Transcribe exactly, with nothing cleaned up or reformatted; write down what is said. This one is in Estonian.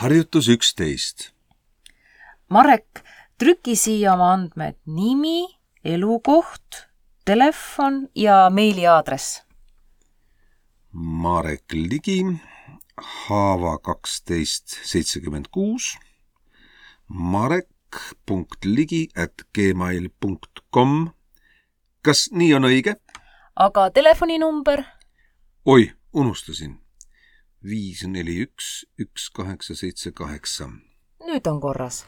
Harjutus üksteist. Marek, trüki siia oma andmed nimi, elukoht, telefon ja meiliaadress. Marek Ligi, Haava kaksteist seitsekümmend kuus, marek punkt ligi at gmail punkt com. Kas nii on õige? Aga telefoninumber? Oi, unustasin. viis neli üks üks kaheksa seitse kaheksa. Nüüd on korras.